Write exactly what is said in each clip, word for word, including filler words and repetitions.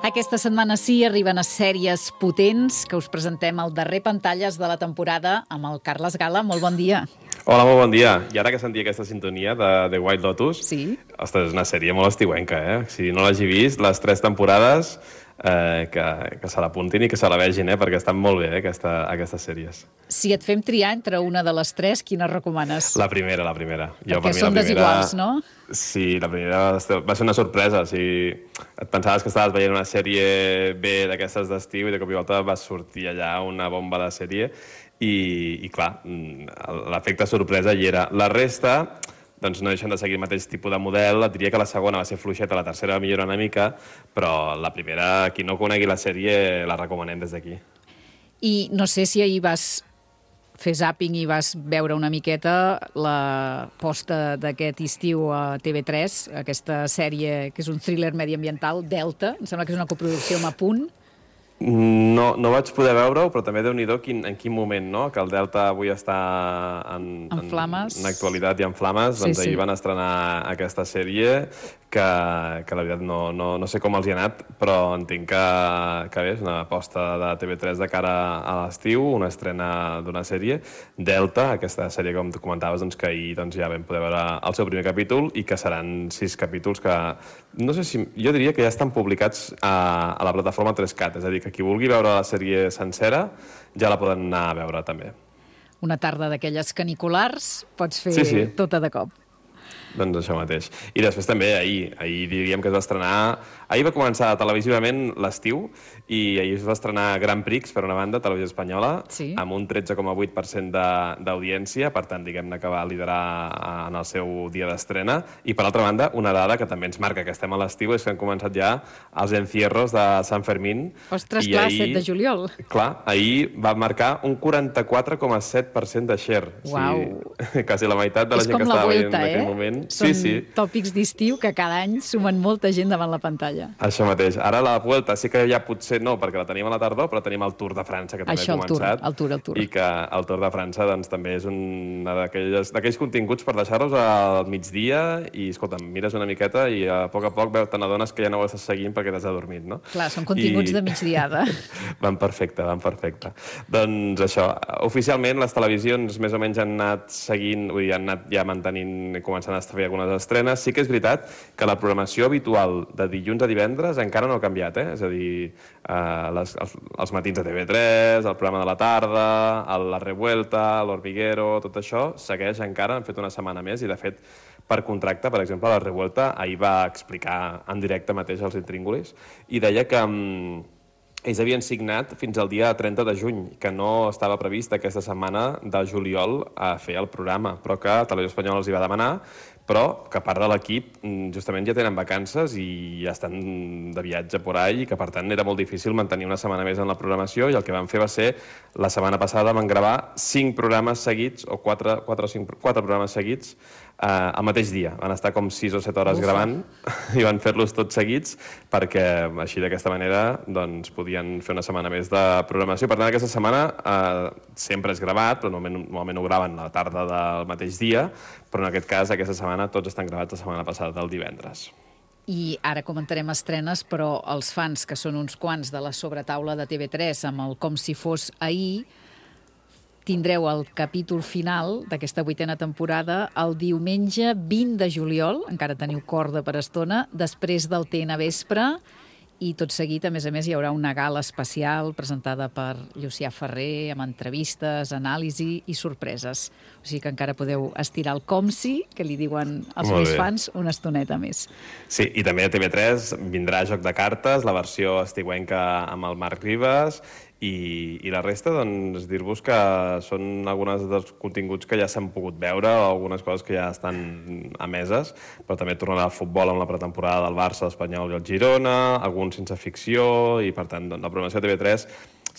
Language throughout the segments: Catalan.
Aquesta setmana sí arriben a sèries potents que us presentem al darrer Pantalles de la temporada amb el Carles Gala. Molt bon dia. Hola, molt bon dia. I ara que sentia aquesta sintonia de The White Lotus, sí? Ostres, és una sèrie molt estiuenca, eh? Si no l'hagi vist, les tres temporades, eh, que, que se l'apuntin i que se la vegin, eh? Perquè estan molt bé, eh? Aquesta, aquestes sèries. Si et fem triar entre una de les tres, quina recomanes? La primera, la primera. Jo, perquè per són primera... desiguals, no? Sí, la primera va ser una sorpresa. O sigui, et pensaves que estaves veient una sèrie bé d'aquestes d'estiu i de cop i volta va sortir allà una bomba de sèrie i, i clar, l'efecte sorpresa hi era. La resta, doncs no deixen de seguir el mateix tipus de model. Et diria que la segona va ser fluixeta, la tercera va millorar una mica, però la primera, qui no conegui la sèrie, la recomanem des d'aquí. I no sé si ahir vas fer zàping i vas veure una miqueta la posta d'aquest estiu a T V tres, aquesta sèrie que és un thriller mediambiental, Delta, em sembla que és una coproducció amb Apunt. No, no vaig poder veure-ho, però també déu-n'hi-do quin, en quin moment, no? Que el Delta avui està en, en, flames. en, en actualitat i en flames. Sí, doncs sí. ahir van estrenar aquesta sèrie que, que la veritat no, no, no sé com els hi ha anat, però entenc que, que bé, és una aposta de T V tres de cara a l'estiu, una estrena d'una sèrie. Delta, aquesta sèrie com tu comentaves, doncs, que ahir doncs, ja vam poder veure el seu primer capítol i que seran sis capítols que, no sé si, jo diria que ja estan publicats a, a la plataforma tres cat, és a dir, que qui vulgui veure la sèrie sencera ja la poden anar a veure també. Una tarda d'aquelles caniculars pots fer sí, sí. tota de cop. Doncs això mateix. I després també ahir, ahir diríem que es va estrenar... Ahir va començar televisivament l'estiu i ahir es va estrenar Grand Prix, per una banda, Televisió Espanyola, sí. amb un tretze coma vuit per cent d'audiència, per tant, diguem-ne que va liderar en el seu dia d'estrena. I, per altra banda, una dada que també ens marca que estem a l'estiu és que han començat ja els encierros de Sant Fermín. Ostres, clar, ahir, set de juliol. Clar, ahir va marcar un quaranta-quatre coma set per cent de share. Uau! O sigui, quasi la meitat de la és gent que estava veient en eh? aquell moment. Són sí, sí. tòpics d'estiu que cada any sumen molta gent davant la pantalla. Això mateix. Ara la Vuelta sí que ja potser no, perquè la tenim a la tardor, però tenim el Tour de França, que també Això, ha començat. El Tour, el Tour, el Tour. I que el Tour de França doncs, també és un d'aquells continguts per deixar-los al migdia i, escolta'm, mires una miqueta i a poc a poc te n'adones que ja no ho estàs seguint perquè t'has adormit, no? Clar, són continguts I... de migdiada. Van perfecte, van perfecte. Doncs això, oficialment les televisions més o menys han anat seguint, vull dir, han anat ja mantenint, començant a fer algunes estrenes. Sí que és veritat que la programació habitual de dilluns a divendres encara no ha canviat, eh? És a dir, eh, les, els, els matins de T V tres, el programa de la tarda, el, la Revuelta, l'Hormiguero, tot això segueix encara, han fet una setmana més i, de fet, per contracte, per exemple, la Revuelta ahir va explicar en directe mateix als intríngulis i deia que um, ells havien signat fins al dia trenta de juny, que no estava previst aquesta setmana de juliol a fer el programa, però que Televisió Espanyola els hi va demanar, però que part de l'equip justament ja tenen vacances i ja estan de viatge por ahí i que, per tant, era molt difícil mantenir una setmana més en la programació i el que van fer va ser, la setmana passada van gravar cinc programes seguits, o quatre, quatre, o cinc, quatre programes seguits eh, al mateix dia. Van estar com sis o set hores Ufa. gravant i van fer-los tots seguits perquè així d'aquesta manera doncs, podien fer una setmana més de programació. Per tant, aquesta setmana eh, sempre és gravat, però normalment, normalment ho graven a la tarda del mateix dia, però en aquest cas, aquesta setmana, tots estan gravats la setmana passada del divendres. I ara comentarem estrenes, però els fans, que són uns quants de la sobretaula de T V tres, amb el Com si fos ahir, tindreu el capítol final d'aquesta vuitena temporada el diumenge vint de juliol, encara teniu corda per estona, després del T N Vespre, i tot seguit, a més a més, hi haurà una gala especial presentada per Llucià Ferrer, amb entrevistes, anàlisi i sorpreses. O sigui que encara podeu estirar el com si, que li diuen els més fans, una estoneta més. Sí, i també a T V tres vindrà Joc de Cartes, la versió estiuenca amb el Marc Ribas, i, i la resta, doncs, dir-vos que són alguns dels continguts que ja s'han pogut veure, o algunes coses que ja estan emeses, però també tornarà al futbol amb la pretemporada del Barça, l'Espanyol i el Girona, alguns sense ficció, i per tant, doncs, la programació de T V tres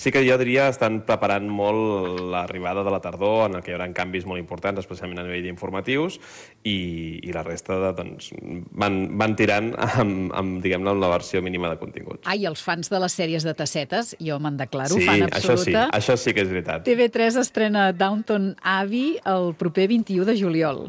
sí que jo diria estan preparant molt l'arribada de la tardor, en el que hi haurà canvis molt importants, especialment a nivell d'informatius, i, i la resta de, doncs, van, van tirant amb, amb, diguem-ne, amb la versió mínima de continguts. Ah, i els fans de les sèries de tassetes, jo me'n declaro, sí, fan absoluta. Això sí, això sí que és veritat. T V tres estrena Downton Abbey el proper vint-i-u de juliol.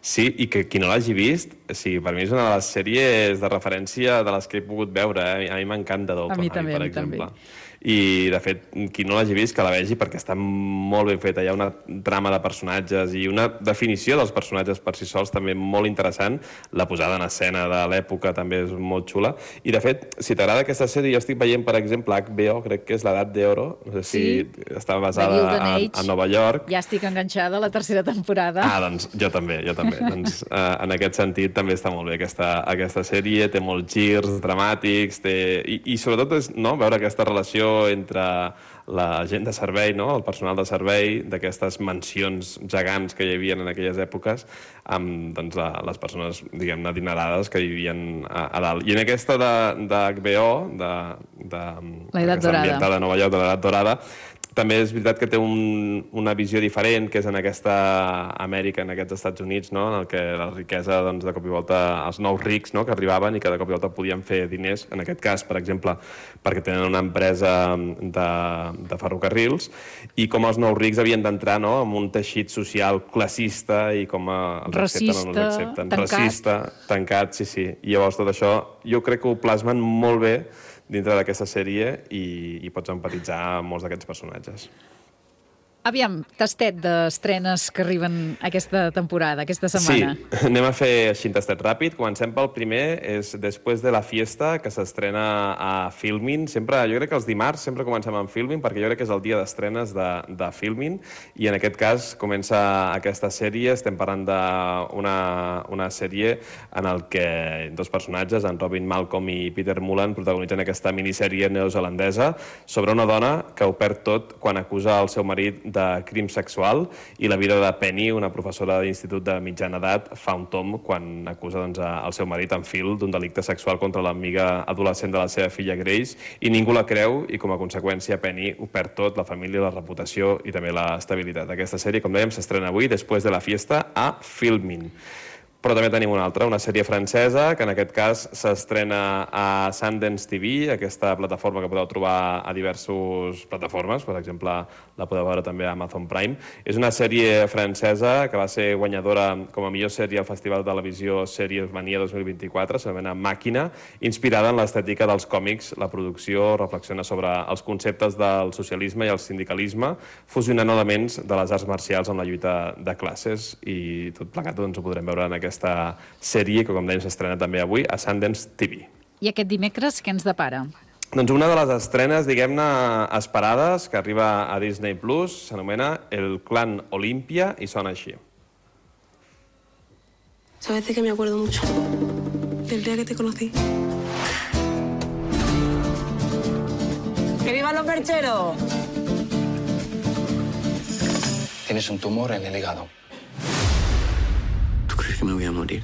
Sí, i que qui no l'hagi vist, sí, per mi és una de les sèries de referència de les que he pogut veure. Eh? A mi m'encanta Downton Abbey, també, per a mi exemple. També. I, de fet, qui no l'hagi vist, que la vegi, perquè està molt ben feta. Hi ha una trama de personatges i una definició dels personatges per si sols també molt interessant. La posada en escena de l'època també és molt xula. I, de fet, si t'agrada aquesta sèrie, jo estic veient, per exemple, H B O, crec que és l'Edat d'Oro, no sé si sí, està basada a, a Nova York. Ja estic enganxada a la tercera temporada. Ah, doncs jo també, jo també. doncs, eh, en aquest sentit també està molt bé aquesta, aquesta sèrie, té molts girs dramàtics, té... I, i sobretot és no, veure aquesta relació entre la gent de servei, no? El personal de servei, d'aquestes mansions gegants que hi havia en aquelles èpoques, amb doncs, les persones, diguem-ne, adinerades que vivien a, a dalt. I en aquesta de, de H B O, de, de, l'Edat Dorada, de Nova York, de l'Edat Dorada, també és veritat que té un, una visió diferent, que és en aquesta Amèrica, en aquests Estats Units, no? En el que la riquesa, doncs, de cop i volta, els nous rics, no? Que arribaven i que de cop i volta podien fer diners, en aquest cas, per exemple, perquè tenen una empresa de, de ferrocarrils, i com els nous rics havien d'entrar, no? En un teixit social classista i com els racista, accepten o no els accepten. Tancat. Racista, tancat, sí, sí. I llavors tot això jo crec que ho plasmen molt bé dintre d'aquesta sèrie i, i pots empatitzar amb molts d'aquests personatges. Aviam, tastet d'estrenes que arriben aquesta temporada, aquesta setmana. Sí, anem a fer així un tastet ràpid. Comencem pel primer, és Després de la fiesta, que s'estrena a Filmin. Sempre, jo crec que els dimarts sempre comencem amb Filmin, perquè jo crec que és el dia d'estrenes de, de Filmin, i en aquest cas comença aquesta sèrie. Estem parlant d'una una sèrie en el que dos personatges, en Robin Malcolm i Peter Mullan, protagonitzen aquesta minissèrie neozelandesa sobre una dona que ho perd tot quan acusa el seu marit de crim sexual, i la vida de Penny, una professora d'institut de mitjana edat, fa un tom quan acusa doncs, el seu marit en Phil d'un delicte sexual contra l'amiga adolescent de la seva filla Grace, i ningú la creu, i com a conseqüència Penny ho perd tot, la família, la reputació i també l'estabilitat. Aquesta sèrie, com dèiem, s'estrena avui, Després de la fiesta, a Filmin. Però també tenim una altra, una sèrie francesa, que en aquest cas s'estrena a Sundance T V, aquesta plataforma que podeu trobar a diverses plataformes, per exemple, la podeu veure també a Amazon Prime. És una sèrie francesa que va ser guanyadora com a millor sèrie al Festival de Televisió Sèries Mania dos mil vint-i-quatre, s'anomena Màquina, inspirada en l'estètica dels còmics. La producció reflexiona sobre els conceptes del socialisme i el sindicalisme, fusionant elements de les arts marcials amb la lluita de classes, i tot plegat doncs, ho podrem veure en aquesta aquesta sèrie que, com dèiem, s'estrena també avui a Sundance T V. I aquest dimecres què ens depara? Doncs una de les estrenes, diguem-ne, esperades, que arriba a Disney Plus, s'anomena El Clan Olimpia i sona així. Sabes de que me acuerdo mucho del día que te conocí. ¡Que vivan los percheros! Tienes un tumor en el hígado. ¿Crees que me voy a morir?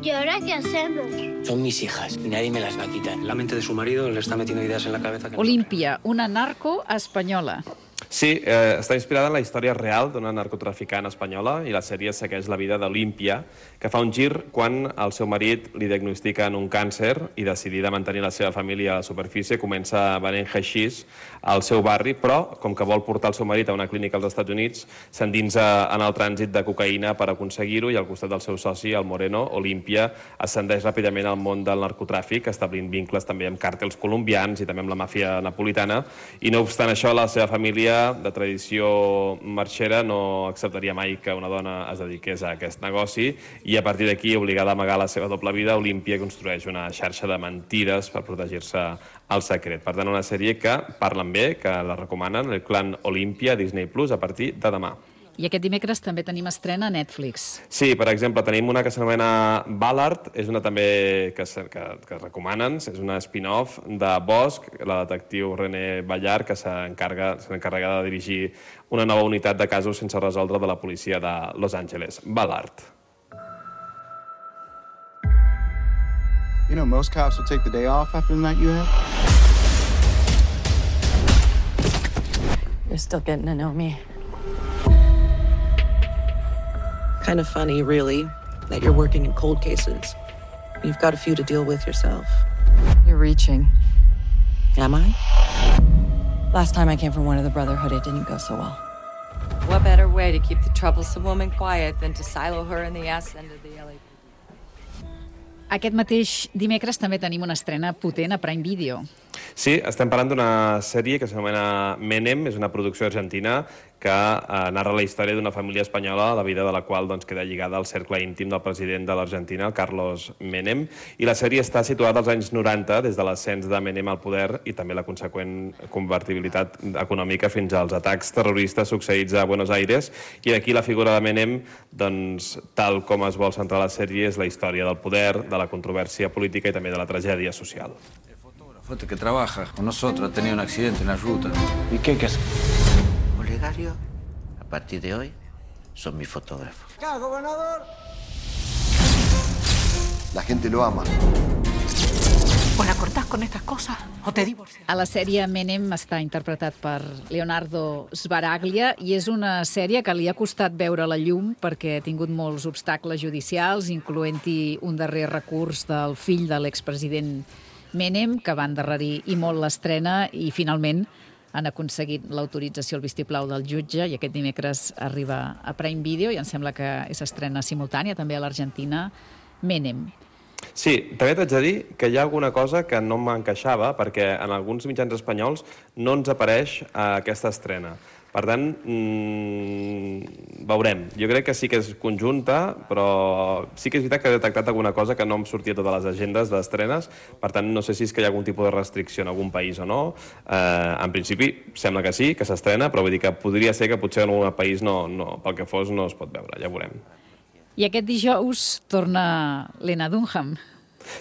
¿Y ahora qué hacemos? Son mis hijas y nadie me las va a quitar. La mente de su marido le está metiendo ideas en la cabeza. Que Olimpia, una narco espanyola. Sí, eh, està inspirada en la història real d'una narcotraficant espanyola, i la sèrie segueix la vida d'Olimpia, que fa un gir quan el seu marit li diagnostiquen un càncer i, decidida a mantenir la seva família a la superfície, comença venent haixís al seu barri, però, com que vol portar el seu marit a una clínica als Estats Units, s'endinsa en el trànsit de cocaïna per aconseguir-ho, i al costat del seu soci, el Moreno, Olimpia ascendeix ràpidament al món del narcotràfic, establint vincles també amb càrtels colombians i també amb la màfia napolitana, i no obstant això, la seva família de tradició marxera no acceptaria mai que una dona es dediqués a aquest negoci, i a partir d'aquí, obligada a amagar la seva doble vida, Olimpia construeix una xarxa de mentides per protegir-se al secret. Per tant, una sèrie que parlen bé, que la recomanen, El Clan Olimpia, Disney Plus, a partir de demà. I aquest dimecres també tenim estrena a Netflix. Sí, per exemple, tenim una que s'anomena Ballard, és una també que, que, que recomanen, és una spin-off de Bosch, la detectiu René Ballard, que s'encarga s'encarrega de dirigir una nova unitat de casos sense resoldre de la policia de Los Angeles. Ballard. You know, most cops will take the day off after the night you had. You're still getting to know me. Kind of funny, really, that you're working in cold cases. You've got a few to deal with yourself. You're reaching. Am I? Last time I came from one of the Brotherhood, it didn't go so well. What better way to keep the troublesome woman quiet than to silo her in the ass end of the L A P D? Aquest mateix dimecres també tenim una estrena potent a Prime Video. Sí, estem parlant d'una sèrie que s'anomena Menem, és una producció argentina que eh, narra la història d'una família espanyola, la vida de la qual doncs, queda lligada al cercle íntim del president de l'Argentina, el Carlos Menem, i la sèrie està situada als anys noranta, des de l'ascens de Menem al poder i també la conseqüent convertibilitat econòmica fins als atacs terroristes succeïts a Buenos Aires, i aquí la figura de Menem, doncs, tal com es vol centrar la sèrie, és la història del poder, de la controvèrsia política i també de la tragèdia social. Foto que trabaja con nosotros, ha tenido un accidente en la ruta. ¿Y qué hay que hacer? Olegario, a partir de hoy, son mi fotógrafo. ¡Ya, gobernador! La gente lo ama. ¿O la cortás con estas cosas o te divorcias? A la sèrie Menem està interpretat per Leonardo Sbaraglia i és una sèrie que li ha costat veure la llum perquè ha tingut molts obstacles judicials, incloent-hi un darrer recurs del fill de l'expresident Menem, que va endarrerir i molt l'estrena i finalment han aconseguit l'autorització, el vistiplau del jutge i aquest dimecres arriba a Prime Video i em sembla que és estrena simultània també a l'Argentina, Menem. Sí, també t'haig de dir que hi ha alguna cosa que no m'encaixava perquè en alguns mitjans espanyols no ens apareix aquesta estrena. Per tant, mmm, veurem. Jo crec que sí que és conjunta, però sí que és veritat que he detectat alguna cosa que no em sortia a totes les agendes d'estrenes. Per tant, no sé si és que hi ha algun tipus de restricció en algun país o no. Eh, en principi, sembla que sí, que s'estrena, però vull dir que podria ser que potser en algun país no, no, pel que fos no es pot veure, ja veurem. I aquest dijous torna Lena Dunham.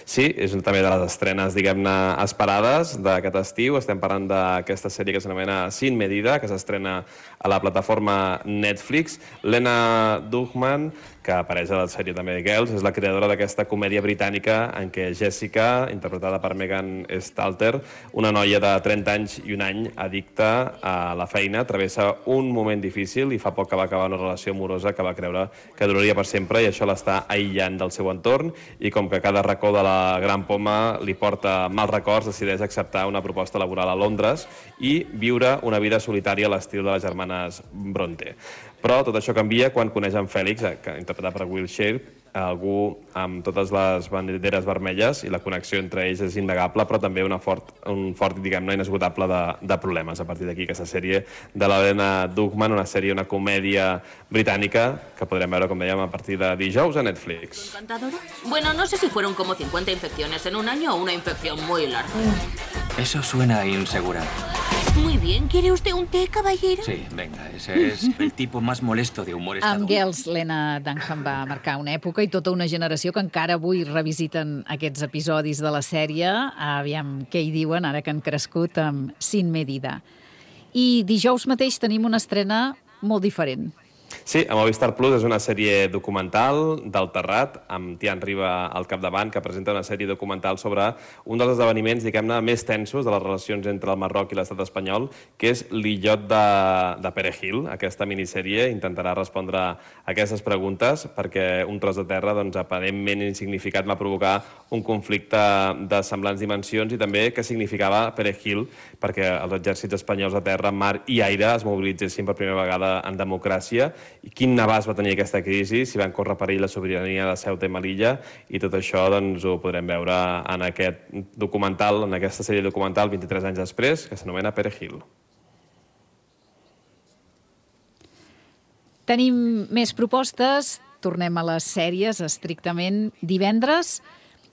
Sí, és també de les estrenes, diguem-ne, esperades d'aquest estiu. Estem parlant d'aquesta sèrie que s'anomena Sin Medida, que s'estrena a la plataforma Netflix. Lena Dunham, que apareix a la sèrie també de Girls, és la creadora d'aquesta comèdia britànica en què Jessica, interpretada per Megan Stalter, una noia de trenta anys i un any addicta a la feina, travessa un moment difícil i fa poc que va acabar una relació amorosa que va creure que duraria per sempre i això l'està aïllant del seu entorn i com que cada racó de la Gran Poma li porta mals records, decideix acceptar una proposta laboral a Londres i viure una vida solitària a l'estil de les germanes Bronte. Però tot això canvia quan coneix en Fèlix, interpretat per Will Sharpe, algú amb totes les banderes vermelles i la connexió entre ells és innegable, però també una fort, un fort, diguem-ne, inesgotable de, de problemes. A partir d'aquí, aquesta sèrie de la Lena Dunham, una sèrie, una comèdia britànica que podrem veure, com dèiem, a partir de dijous a Netflix. ¿Encantadora? Bueno, no sé si fueron como cincuenta infecciones en un año o una infección muy larga. Eso suena insegura. Muy bien. ¿Quiere usted un té, caballero? Sí, venga, ese es el tipo más molesto de humor Amb estadounidense. Girls, Lena Dunham va marcar una època i tota una generació que encara avui revisiten aquests episodis de la sèrie. Aviam què hi diuen ara que han crescut amb Sin Medida. I dijous mateix tenim una estrena molt diferent. Sí, a Movistar Plus és una sèrie documental del Terrat, amb Tian Riba al capdavant, que presenta una sèrie documental sobre un dels esdeveniments, diguem-ne, més tensos de les relacions entre el Marroc i l'estat espanyol, que és l'illot de, de Perejil. Aquesta minissèrie intentarà respondre a aquestes preguntes perquè un tros de terra, doncs, aparentment insignificat, va provocar un conflicte de semblants dimensions i també què significava Perejil perquè els exèrcits espanyols de terra, mar i aire es mobilitzessin per primera vegada en democràcia i quin abast va tenir aquesta crisi, si van córrer perill la sobirania de Ceuta i Melilla, i tot això doncs, ho podrem veure en aquest documental, en aquesta sèrie documental vint-i-tres anys després, que s'anomena Perejil. Tenim més propostes, tornem a les sèries estrictament. Divendres,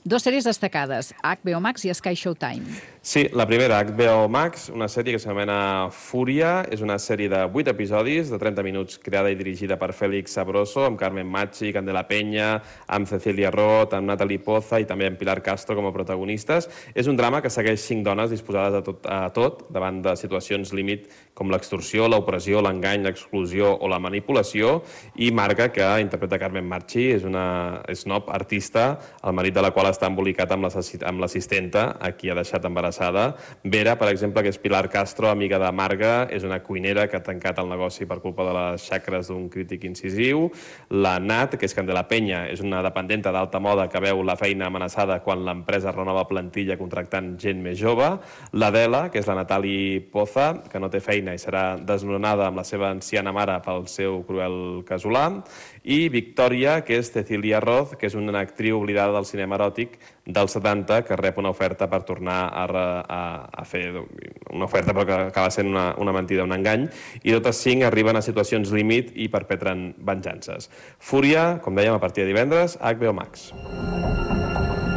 dues sèries destacades, H B O Max i Sky Showtime. Sí, la primera, H B O Max, una sèrie que s'anomena Fúria, és una sèrie de vuit episodis, de trenta minuts, creada i dirigida per Félix Sabroso, amb Carmen Machi, Candela Peña, amb Cecilia Roth, amb Natalie Poza i també amb Pilar Castro com a protagonistes. És un drama que segueix cinc dones disposades a tot, a tot davant de situacions límit com l'extorsió, l'opressió, l'engany, l'exclusió o la manipulació, i Marga, que interpreta Carmen Machi, és una snob artista, el marit de la qual està embolicat amb l'assistenta, a qui ha deixat embarassada passada. Vera, per exemple, que és Pilar Castro, amiga de Marga, és una cuinera que ha tancat el negoci per culpa de les xacres d'un crític incisiu. La Nat, que és Candela Penya, és una dependenta d'alta moda que veu la feina amenaçada quan l'empresa renova plantilla contractant gent més jove. L'Adela, que és la Natali Poza, que no té feina i serà desnonada amb la seva anciana mare pel seu cruel casolà. I Victòria, que és Cecilia Roth, que és una actriu oblidada del cinema eròtic dels setanta, que rep una oferta per tornar a, a, a fer una oferta però que acaba sent una, una mentida, un engany, i totes cinc arriben a situacions límit i perpetren venjances. Fúria, com dèiem, a partir de divendres, a H B O Max.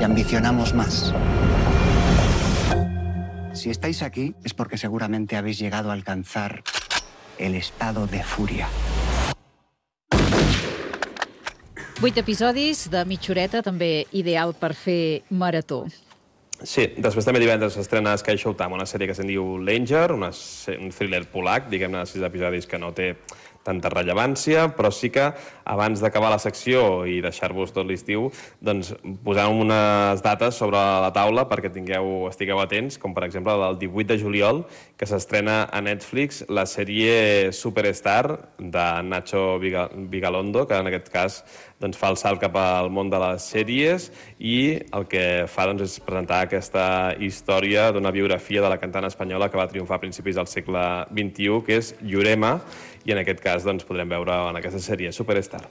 Y ambicionamos más. Si estáis aquí es porque seguramente habéis llegado a alcanzar el estado de furia. Vuit episodis de mitja horeta, també ideal per fer marató. Sí, després també divendres s'estrena Sky Showtime, una sèrie que se'n diu L'Anger, un thriller polac, diguem-ne, de sis episodis que no té tanta rellevància, però sí que abans d'acabar la secció i deixar-vos tot l'estiu, doncs posem unes dates sobre la taula perquè tingueu, estigueu atents, com per exemple el divuit de juliol, que s'estrena a Netflix la sèrie Superstar de Nacho Vigalondo, que en aquest cas doncs, fa el salt cap al món de les sèries i el que fa doncs, és presentar aquesta història d'una biografia de la cantant espanyola que va triomfar a principis del segle vint-i-u, que és Llurema, i en aquest cas doncs, podrem veure en aquesta sèrie Superstar.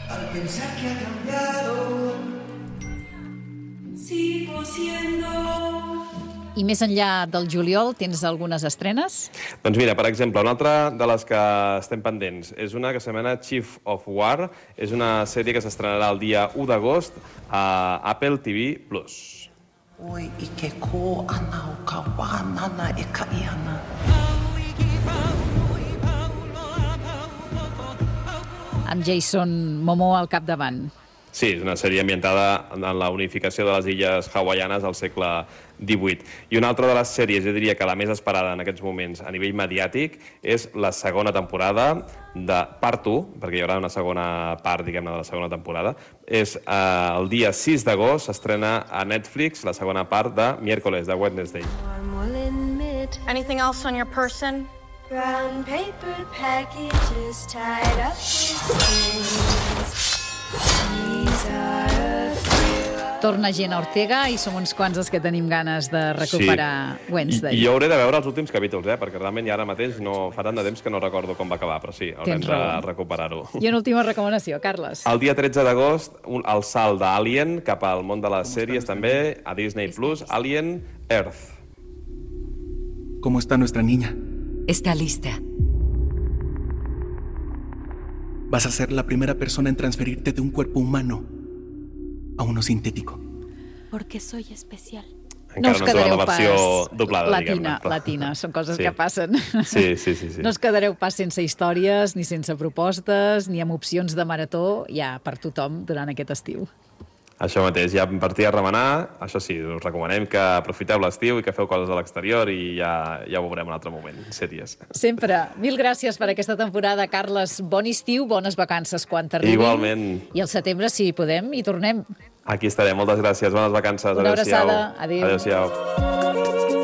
Al pensar que ha cambiado, sigo siendo... I més enllà del juliol, tens algunes estrenes? Doncs mira, per exemple, una altra de les que estem pendents és una que s'anomena Chief of War. És una sèrie que s'estrenarà el dia u d'agost a Apple T V plus. Oi, ike ko ana o ka wa nana e ka iana. Amb Jason Momoa al capdavant. Sí, és una sèrie ambientada en la unificació de les illes hawaianes al segle divuit. I una altra de les sèries, jo diria que la més esperada en aquests moments a nivell mediàtic, és la segona temporada de Part u, perquè hi haurà una segona part, diguem-ne, de la segona temporada. És eh, el dia sis d'agost, s'estrena a Netflix la segona part de Miércoles, de Wednesday. Anything else on your person? Brown paper packages tied up Torna gent a Ortega i som uns quants els que tenim ganes de recuperar sí. Wednesday. I, I jo hauré de veure els últims capítols, eh? Perquè realment ja ara mateix no fa tant de temps que no recordo com va acabar, però sí, haurem de recuperar-ho. I una última recomanació, Carles. El dia tretze d'agost, el salt d'Alien cap al món de les sèries també, a Disney plus, Alien Earth. ¿Cómo está nuestra niña? Está lista. Vas a ser la primera persona en transferirte de un cuerpo humano a uno sintético. Porque soy especial. No us quedareu la versió pas doblada, latina, latina, són coses sí. que passen. Sí, sí, sí, sí. No us quedareu pas sense històries, ni sense propostes, ni amb opcions de marató, ja per tothom durant aquest estiu. Això mateix, ja per ti a remenar, això sí, us recomanem que aprofiteu l'estiu i que feu coses a l'exterior i ja, ja ho veurem en un altre moment, sèries. Sempre. Mil gràcies per aquesta temporada, Carles. Bon estiu, bones vacances quan t'arribin. Igualment. I al setembre, si podem, hi tornem. Aquí estarem. Moltes gràcies. Bones vacances. Una abraçada. Adéu-siau. Adéu. Adéu-siau.